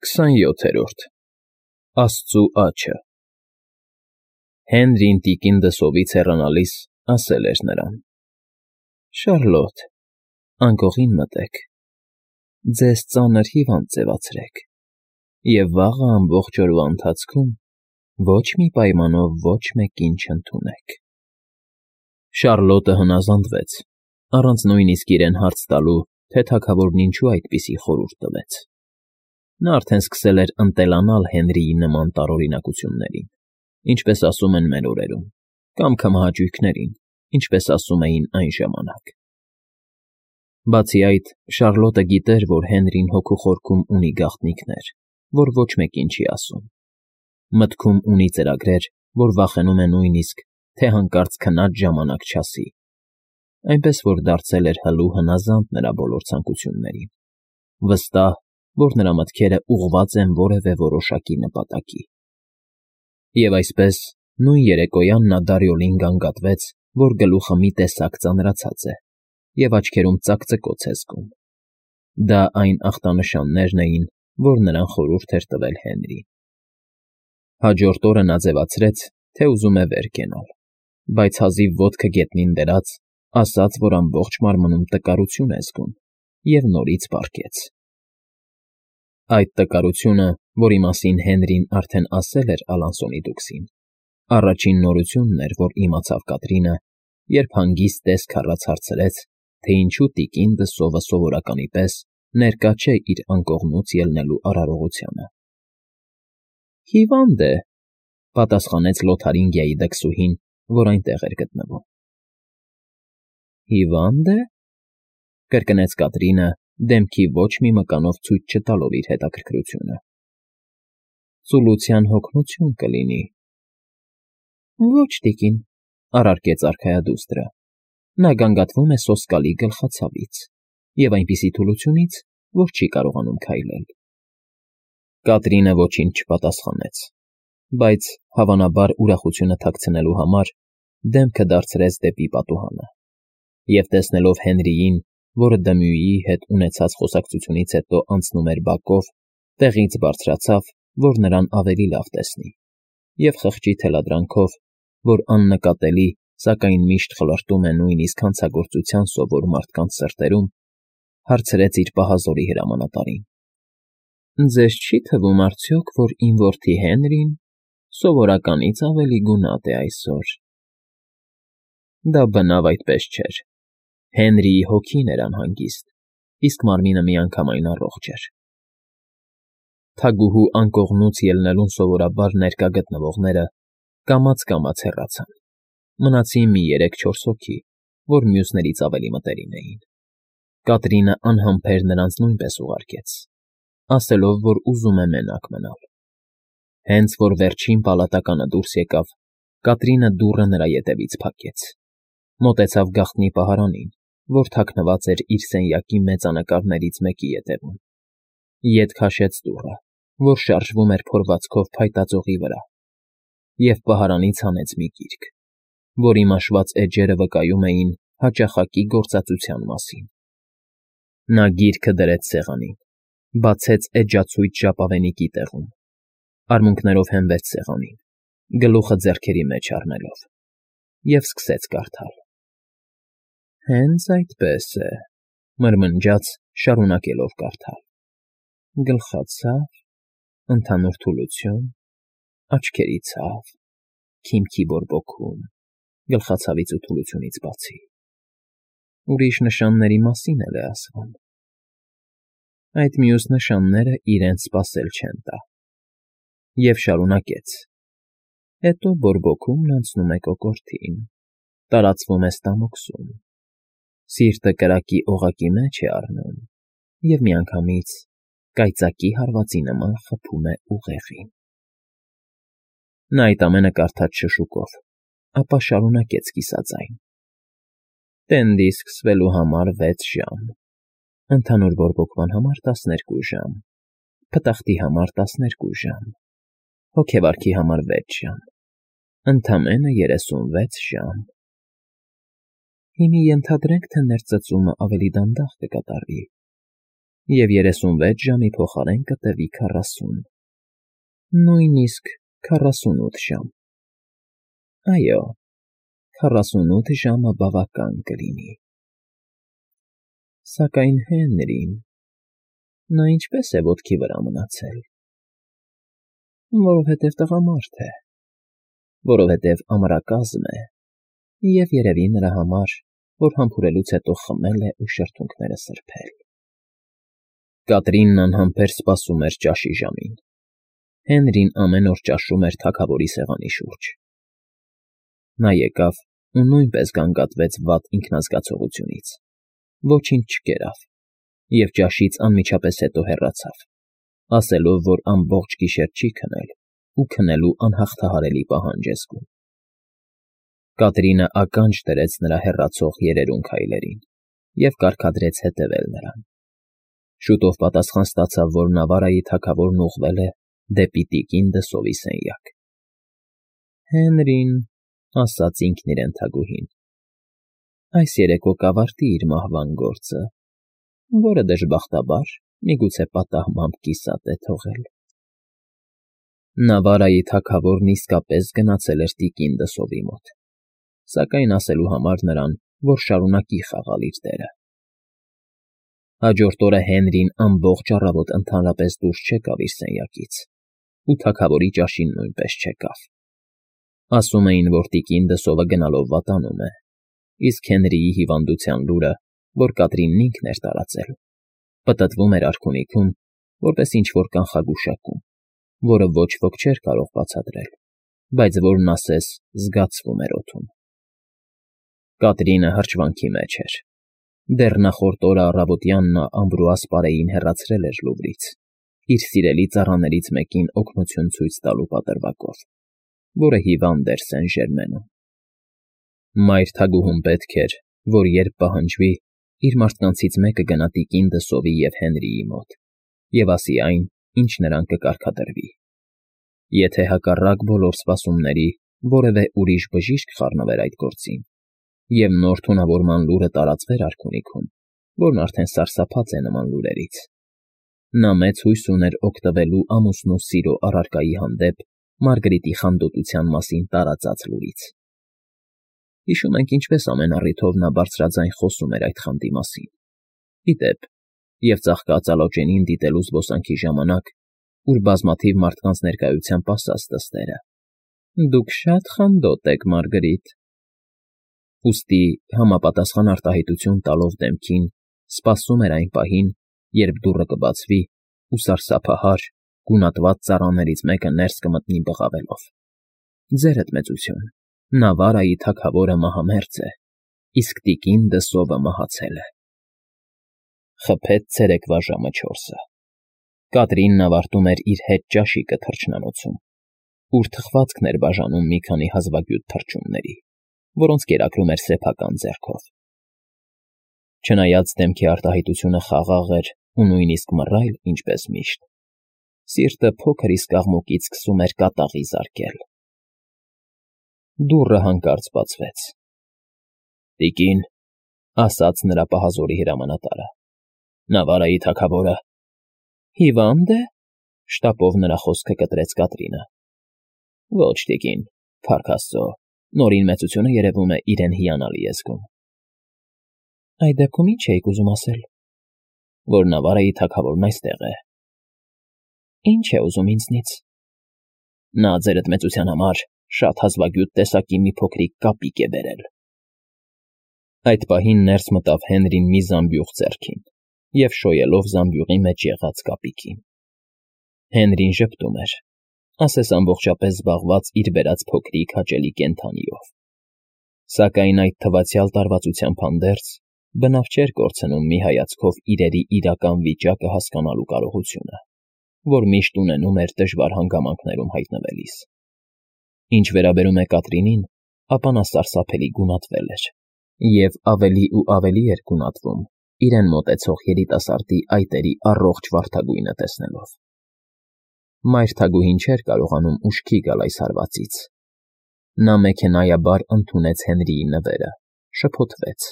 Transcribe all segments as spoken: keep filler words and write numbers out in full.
Քսանյոթերորդ Աստծու աչը Հենրին տիկին դսովից հեռանալիս ասել էր նրան. Շարլոտ, անկողին մտեք, ձեզ ծանր հիվանդ ձևացրեք և վաղը ամբողջ օրվա ընթացքում ոչ մի պայմանով ոչ մեկին չընդունեք։ Շարլոտը հնազանդվեց, առանց նույնիսկ իրեն հարց տալու, թե թագավորն ինչու այդպիսի խորհուրդ տվեց։ Նա արդեն սկսել էր ընտելանալ Հենրիի նման տարօրինակություններին, ինչպես ասում են մեր օրերում, կամ քմահաճույքներին, ինչպես ասում էին այն ժամանակ։ Բացի այդ, Շարլոտը գիտեր, որ Հենրին հոգու խորքում ունի գաղտնիքներ, որ ոչ մեկին չի ասում։ Մտքում ունի ծրագրեր, որ վախենում է նույնիսկ, թե հանկարծ քնած ժամանակ չասի, այնպես որ դարձել էր հլու հնազանդ նրա բոլոր ցանկություններին, վստահ, որ նրա մտքերը ուղղված են որևէ որոշակի նպատակի։ Եվ այսպես, նույն երեկոյան նա Դարիոլին գանգատվեց, որ գլուխը մի տեսակ ծանրացած է և աչքերում ծակծկոց է զգում։ Դա այն ախտանշաններն էին, որ նրան խորհուրդ էր տվել Հենրին։ Հաջորդ օրը նա ձևացրեց, թե ուզում է վեր կենալ, բայց հազիվ ոտքը գետնին դրած, ասաց, որ ամբողջ մարմնում տկարություն է զգում, և նորից պառկեց։ Այդ տկարությունը, որի մասին Հենրին արդեն ասել էր Ալանսոնի դուքսին, առաջին նորությունն էր, որ իմացավ Կատրինը, երբ հանգիստ տեսք առած հարցրեց, թե ինչու տիկին դսովը սովորականի պես ներկա չէ իր անկողնուց ելնելու արարողությանը։ Հիվանդ է, պատասխանեց Լոթարինգիայի դքսուհին, որ այնտեղ էր գտնվում։ Հիվա՞նդ է,֊ կրկնեց Կատրինը, դեմքի ոչ մի մկանով ցույց չտալով իր հետաքրքրությունը։ Ծուլության հոգնություն կլինի։ Ոչ, տիկին,֊ առարկեց արքայադուստրը, նա գանգատվում է սոսկալի գլխացավից և այնպիսի թուլությունից, որ չի կարողանում քայլել։ Կատրինը ոչինչ չպատասխանեց, բայց, հավանաբար ուրախությունը թաքցնելու համար, դեմքը դարձրեց դեպի պատուհանը, և տեսնելով Հենրիին, որը Դմյուիի հետ ունեցած խոսակցությունից հետո անցնում էր բակով, տեղից բարձրացավ, որ նրան ավելի լավ տեսնի, և խղճի թելադրանքով, որ աննկատելի, սակայն միշտ խլրտում է նույնիսկ հանցագործության սովոր մարդկանց սրտերում, հարցրեց իր պահազորի հրամանատարին. Ձեզ չի թվում արդյոք, որ իմ որդի Հենրին սովորականից ավելի գունատ է այսօր։ Դա բնավ այդպես չէր։ Հենրիի հոգին էր անհանգիստ, իսկ մարմինը միանգամայն առողջ էր։ Թագուհու անկողնուց ելնելուն սովորաբար ներկա գտնվողները կամաց֊կամաց հեռացան, մնացին մի երեք֊չորս հոգի, որ մյուսներից ավելի մտերիմ էին։ Կատրինը անհամբեր նրանց նույնպես ուղարկեց, ասելով, որ ուզում է մենակ մնալ։ Հենց որ վերջին պալատականը դուրս եկավ, Կատրինը դուռը նրա ետևից փակեց, մոտեցավ գաղտնի պահարանին, որ թաքնված էր իր սենյակի մեծանկարներից մեկի ետևում, ետ քաշեց դուռը, որ շարժվում էր փորվածքով փայտածողի վրա, և պահարանից հանեց մի գիրք, որի մաշված էջերը վկայում էին հաճախակի գործածության մասին։ Նա գիրքը դրեց սեղանին, բացեց էջացույց ժապավենիքի տեղում, արմունկներով հենվեց սեղանին, գլուխը ձեռքերի մեջ առնելով, և սկսեց կարդալ։ Հենց այդպես է,֊ մրմնջաց, շարունակելով կարդալ։ Գլխացավ, ընդհանուր թուլություն, աչքերի ցավ, քիմքի բորբոքում, գլխացավից ու թուլությունից բացի։ Ուրիշ նշանների մասին էլ է ասվում։ Այդ մյուս նշանները իրենց սպասել չեն տա։ Եվ շարունակեց. Հետո բորբոքումն անցնում է կոկորդին, տարածվում է ստամոքսում, սիրտը կրակի օղակի մեջ է առնում և միանգամից կայծակի հարվածի նման խփում է ուղեղին։ Նա այդ ամենը կարդաց շշուկով, ապա շարունակեց կիսաձայն. Տենդի սկսվելու համար վեց ժամ, ընդհանուր բորբոքման համար տասներկու ժամ, փտախտի համար տասներկու ժամ, հոգեվարքի համար վեց ժամ, ընդամենը երեսունվեց ժամ։ Հիմի ենթադրենք, թե ներծծումը ավելի դանդաղ կկատարվի, և երեսունվեց ժամի փոխարեն կտևի քառասուն, նույնիսկ քառասունութ ժամ։ Այո, քառասունութ ժամը բավական կլինի։ Սակայն Հենրին… նա ինչպե՞ս է ոտքի վրա մնացել։ Որովհետև տղամարդ է, որովհետև ամրակազմ է, և երևի նրա համար, որ համբուրելուց հետո խմել է ու շրթունքները սրբել։ Կատրինն անհամբեր սպասում էր ճաշի ժամին։ Հենրին ամեն օր ճաշում էր թագավորի սեղանի շուրջ։ Նա եկավ ու նույնպես գանգատվեց վատ ինքնազգացողությունից, ոչինչ չկերավ և ճաշից անմիջապես հետո հեռացավ, ասելով, որ ամբողջ գիշեր չի քնել ու քնելու անհաղթահարելի պահանջ է զգում։ Կատրինը ականջ դրեց նրա հեռացող երերուն քայլերին և կարգադրեց հետևել նրան։ Շուտով պատասխան ստացավ, որ Նավարայի թագավորն ուղղվել է դեպի տիկին Դսովի սենյակ։ Հենրին… ասաց ինքն իրեն թագուհին… այս երեկո կավարտի իր մահվան գործը, որը, դժբախտաբար, միգուցե պատահմամբ կիսատ է թողել։ Նավարայի թագավորն իսկապես գնացել էր տիկին Դսովի մոտ, սակայն ասելու համար նրան, որ շարունակի խաղալ իր դերը։ Հաջորդ օրը Հենրին ամբողջ առավոտ ընդհանրապես դուրս չեկավ իր սենյակից ու թագավորի ճաշին նույնպես չեկավ։ Ասում էին, որ տիկին Դսովը գնալով վատանում է, իսկ Հենրիի հիվանդության լուրը, որ Կատրինն ինքն էր տարածել, պտտվում էր արքունիքում, որպես ինչ֊որ կանխագուշակում, որը ոչ ոք չէր կարող բացատրել, բայց որն ասես զգացվում էր օդում։ Կատրինը հրճվանքի մեջ էր։ Դեռ նախորդ օրը առավոտյան նա Ամբրուաս պարեին հեռացրել էր Լուվրից, իր սիրելի ծառաներից մեկին օգնություն ցույց տալու պատրվակով, որը հիվանդ էր Սեն֊Ժերմենում։ Մայր թագուհուն պետք էր, որ երբ պահանջվի, իր մարդկանցից մեկը գնա տիկին Դսովի և Հենրիի մոտ և ասի այն, ինչ նրան կկարգադրվի։ Եթե հակառակ բոլոր սպասումների որևէ ուրիշ բժիշկ խառնվեր այդ գործին, և նոր թունավորման լուրը տարածվեր արքունիքում, որն արդեն սարսափած է նման լուրերից, նա մեծ հույս ուներ օգտվելու ամուսնու սիրո առարկայի հանդեպ Մարգարիտի խանդոտության մասին տարածած լուրից։ Հիշում ենք ինչպես ամեն առիթով նա բարձրաձայն խոսում էր այդ խանդի մասին։ Ի դեպ, և ծաղկածալոճենին դիտելու զբոսանքի ժամանակ, ուր բազմաթիվ մարդկանց ներկայությամբ ասաց թզուկները. «Դուք շատ խանդոտ եք, Մարգարիտ»։ Ուստի, համապատասխան արտահայտություն տալով դեմքին, սպասում էր այն պահին, երբ դուռը կբացվի, ու սարսափահար, գունատված ծառաներից մեկը ներս կմտնի բղավելով. «Ձերդ մեծություն, Նավարայի թագավորը մահամերձ է, իսկ տիկին Դսովը մահացել է»։ Խփեց ցերեկվա ժամը չորսը։ Կատրինն ավարտում էր իր հետ ճաշիկը թռչնանոցում, ուր թխվածքն էր բաժանում մի քանի հազվագյուտ թռչունների, որոնց կերակրում էր սեփական ձեռքով։ Չնայած դեմքի արտահայտությունը խաղաղ էր ու նույնիսկ մռայլ, ինչպես միշտ, սիրտը փոքր իսկ աղմուկից սկսում էր կատաղի զարկել։ Դուռը հանկարծ բացվեց։ «Տիկին», ասաց նրա պահազորի հրամանատարը, «Նավարայի թագավորը…» «Հիվա՞նդ է», շտապով նրա խոսքը կտրեց Կատրինը։ «Ոչ, տիկին, փառք Աստծո, Նորին մեծությունը, երևում է, իրեն հիանալի է զգում»։ «Այդ դեպքում ի՞նչ էիք ուզում ասել»։ «Որ Նավարայի թագավորն այստեղ է»։ «Ի՞նչ է ուզում ինձնից»։ «Նա ձերդ մեծության համար շատ հազվագյուտ տեսակի մի փոքրիկ կապիկ է բերել»։ Այդ պահին ներս մտավ Հենրին մի զամբյուղ ձեռքին և շոյելով զամբյուղի մեջ եղած կապիկին։ Հենրին ժպտում էր, ասես ամբողջապես զբաղված իր բերած փոքրիկ հաճելի կենդանիով։ Սակայն այդ թվացյալ տարվածությամբ հանդերձ բնավ չէր կորցնում մի հայացքով իրերի իրական վիճակը հասկանալու կարողությունը, որ միշտ ունենում էր դժվար հանգամանքներում հայտնվելիս։ Ինչ վերաբերում է Կատրինին, ապա նա սարսափելի գունատվել էր և ավելի ու ավելի էր գունատվում իրեն մոտեցող երիտասարդի այտերի առողջ վարդագույնը տեսնելով։ Մայր թագուհին չէր կարողանում ուշքի գալ այս հարվածից։ Նա մեքենայաբար ընդունեց Հենրիի նվերը, շփոթվեց,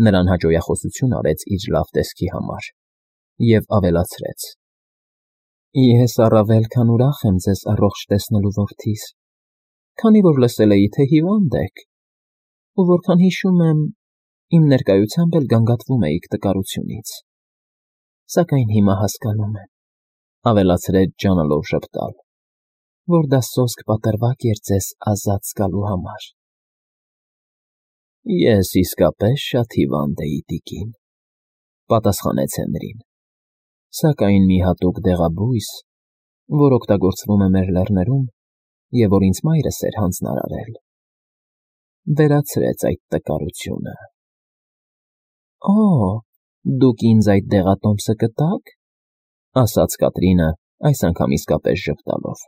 նրան հաճոյախոսություն արեց իր լավ տեսքի համար Եվ ավելացրեց. Ես առավել քան ուրախ եմ ձեզ առողջ տեսնելու, որդիս, քանի որ լսել էի, թե հիվանդ եք, ու որքան հիշում եմ, իմ ներկայությամբ էլ գանգատվում էիք տկարությունից, սակայն հիմա հասկանում եմ, ավելացրեց ջանալով ժպտալ, որ դա սոսկ պատրվակ էր ձեզ ազատ զգալու համար։ Ես իսկապես շատ հիվանդ էի, տիկին, պատասխանեց Հենրին, սակայն մի հատուկ դեղաբույս, որ օգտագործվում է մեր լեռներում և որ ինձ մայրս էր հանձնարարել, վերացրեց այդ տկարությունը։ Օ, դուք ինձ այդ դեղատոմսը կտա՞ք, ասաց Կատրինը այս անգամ իսկապես ժպտալով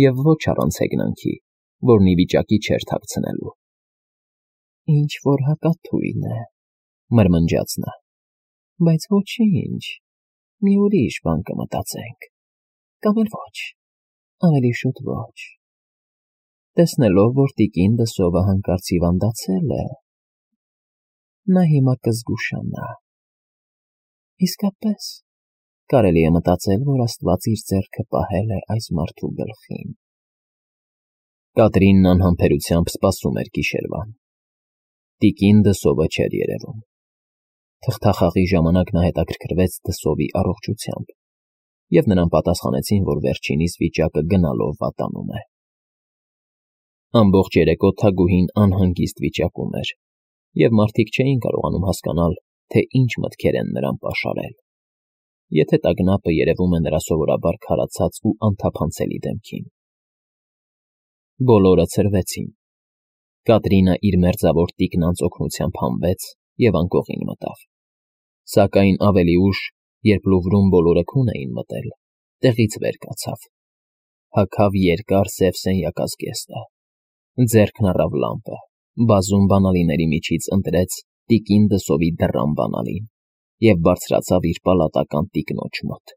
և ոչ առանց հեգնանքի, որն ի վիճակի չէր թաքցնելու։ Ինչ-որ հակաթույն է, մրմնջաց նա, բայց ոչինչ, մի ուրիշ բան կմտածենք, կամ էլ ոչ, ավելի շուտ ոչ։ Տեսնելով, որ տիկին Դսովը հանկարծ հիվանդացել է, նա հիմա կզգուշանա։ Իսկապես, կարելի է մտածել, որ Աստված իր ձեռքը պահել է այս մարդու գլխին։ Կատրինն անհամբերությամբ սպասում էր գիշերվան։ Տիկին Դսովը չէր երևում։ Թղթախաղի ժամանակ նա հետաքրքրվեց Դսովի առողջությամբ, և նրան պատասխանեցին, որ վերջինիս վիճակը գնալով վատանում է։ Ամբողջ երեկո Թագուհին անհանգիստ վիճակում էր, և մարդիկ չէին կարողանում հասկանալ, թե ինչ մտքեր են նրան պաշարել, եթե տագնապը երևում է նրա սովորաբար քարացած ու անթափանցելի դեմքին։ Բոլորը ցրվեցին։ Կատրինը իր մերձավոր տիկնանց օգնությամբ հանվեց և անկողին մտավ։ Սակայն ավելի ուշ, երբ Լուվրում բոլորը քուն էին մտել, տեղից վեր կացավ։ Հագավ երկար սև սենյակազգեստը, ձեռքն առավ լամպը, բազում բանալիների միջից ընտրեց տիկին Դսովի դռան բանալին և բարձրացավ իր պալատական տիկնոջ մոտ։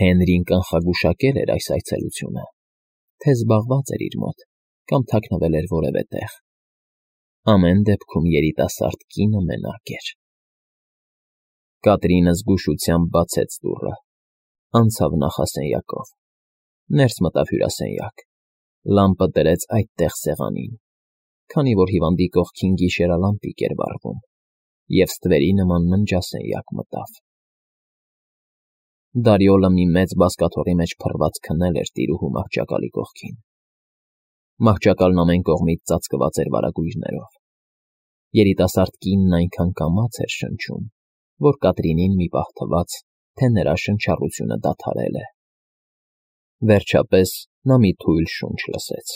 Հենրին կանխագուշակել էր այս այցելությունը, թե զբաղված էր իր մոտ կամ թաքնվել էր որևէ տեղ։ Ամեն դեպքում երիտասարդ կինը մենակ էր։ Կատրինը զգուշությամբ բացեց դուռը, անցավ նախասենյակով, ներս մտավ հյուրասենյակ, լամպը դրեց այդտեղ սեղանին, քանի որ հիվանդի կողքին գիշերալամպիկ էր վառվում, և ստվերի նման ննջասենյակ մտավ։ Դարիոլը մի մեծ բազկաթոռի մեջ փռված քնել էր տիրուհու մահճակալի կողքին։ Մահճակալն ամեն կողմից ծածկված էր վարագույրներով։ Երիտասարդ կինն այնքան կամաց էր շնչում, որ Կատրինին մի պահ թվաց, թե նրա շնչառությունը դադարել է։ Վերջապես նա մի թույլ շունչ լսեց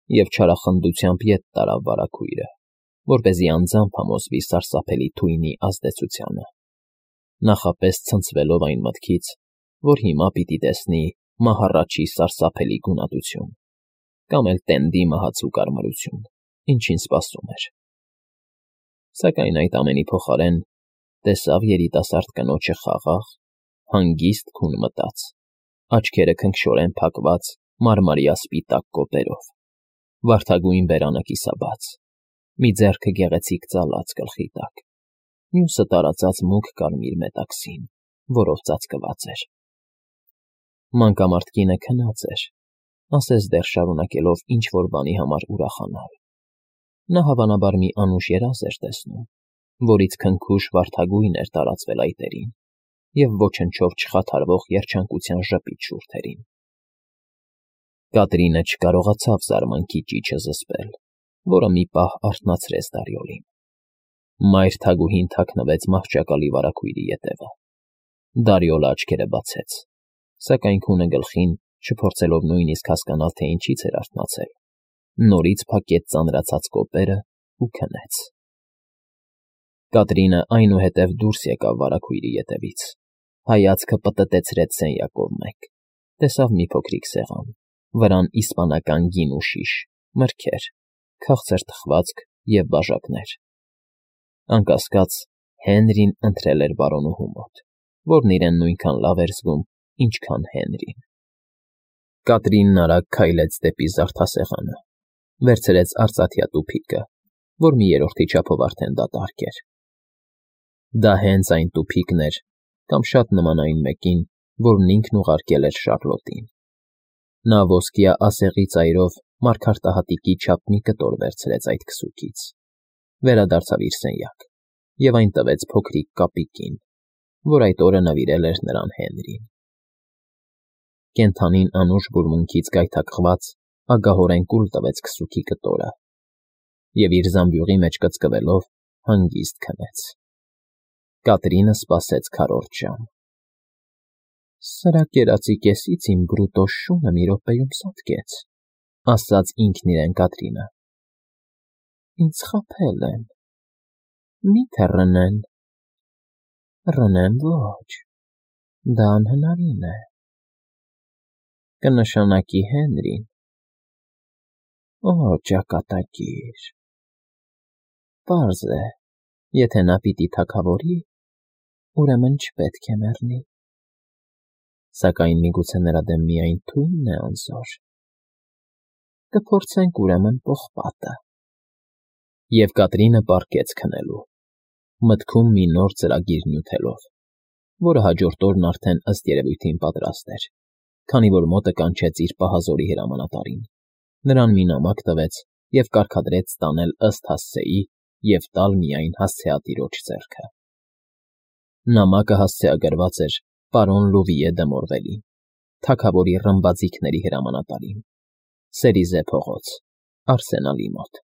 և չարախնդությամբ ետ տարավ վարագույրը, որպեսզի անձամբ համոզվի սարսափելի թույնի ազդեցությանը, նախապես ցնցվելով այն մտքից, որ հիմա պիտի տեսնի մահառաչի սարսափելի գունատություն, կամ էլ տենդի մահացու կարմրություն, ինչին սպասում էր։ Սակայն այդ ամենի փոխարեն տեսավ երիտասարդ կնոջը խաղաղ, հանգիստ քուն մտած, աչքերը քնքշորեն փակված մարմարյա սպիտակ կոպերով, վարդագույն բերանը կիսաբաց, մի ձեռքը գեղեցիկ ծալած գլխի տակ, մյուսը տարածած մուգ կարմիր մետաքսին, որով ծածկված էր։ Մանկամարդ կինը քնած էր, ասես դեռ շարունակելով ինչ-որ բանի համար ուրախանալ։ Նա հավանաբար մի անուշ երազ էր տեսնում, որից քնքուշ վարդագույն էր տարածվել այտերին և ոչնչով չխաթարվող երջանկության ժպիտ շուրթերին։ Կատրինը չկարողացավ զարմանքի ճիչը զսպել, որը մի պահ արթնացրեց Դարիոլին։ Մայր Թագուհին թաքնվեց մահճակալի վարագույրի ետևը։ Դարիոլը աչքերը բացեց, սակայն քունը գլխին, չփորձելով նույնիսկ հասկանալ, թե ինչից էր արթնացել, նորից փակեց ծանրացած կոպերը ու քնեց։ Կատրինը այնուհետև դուրս եկավ վարագույրի ետևից, հայացքը պտտեցրեց սենյակով մեկ, տեսավ մի փոքրիկ սեղան, վրան իսպանական գին ու շիշ, մրգեր, քաղցր թխվածք և բաժակներ։ Անկասկած, Հենրին ընտրել էր բարոնուհու մոտ, որն իրեն նույնքան լավ էր զգում, ինչքան Հենրին։ Կատրինն արագ քայլեց դեպի զարդասեղանը, վերցրեց արծաթյա տուփիկը, որ մի երրորդի չափով արդեն դատարկ էր։ Դա հենց այն տուփիկն էր, կամ շատ նման այն մեկին, որն ինքն ուղարկել էր Շառլոտին։ Նա ոսկյա ասեղի ծայրով մարգարտահատիկի չափ մի կտոր վերցրեց այդ քսուկից, վերադարձավ իր սենյակ և այն տվեց փոքրիկ կապիկին, որ այդ օրը նվիրել էր նրան Հենրին։ Կենդանին անուշ բուրմունքից գայթակղված ագահորեն կուլ տվեց քսուկի կտորը և իր զամբյուղի մեջ կծկվելով հանգիստ քնեց։ Կատրինը սպասեց քառորդ ժամ։ «Սրա կերածի կեսից իմ բրուտո շունը մի րոպեում սատկեց», ֊ ասաց ինքն իրեն Կատրինը։ «Ինձ խաբել են, մի՞թե Ռնեն։ Ռնեն ոչ, դա անհնարին է, կնշանակի Հենրին։ Օ, ճակատագիր… Պարզ է, եթե նա պիտի թագավորի, ուրեմն չպետք է մեռնի, սակայն միգուցե նրա դեմ միայն թույնն է անզոր… Կփորձենք, ուրեմն, պողպատը»։ Եվ Կատրինը պառկեց քնելու, մտքում մի նոր ծրագիր նյութելով, որը հաջորդ օրն արդեն ըստ երևույթին պատրաստ էր, քանի որ մոտը կանչեց իր պահազորի հրամանատարին, նրան մի նամակ տվեց և կարգադրեց տանել ըստ հասցեի և տալ միայն հասցեատիրոջ ձեռքը։ Նամակը հասցեագրված էր պարոն Լուվիե դը Մորվելին, թագավորի ռմբաձիգների հրամանատարին, Սերիզե փողոց, Արսենալի մոտ։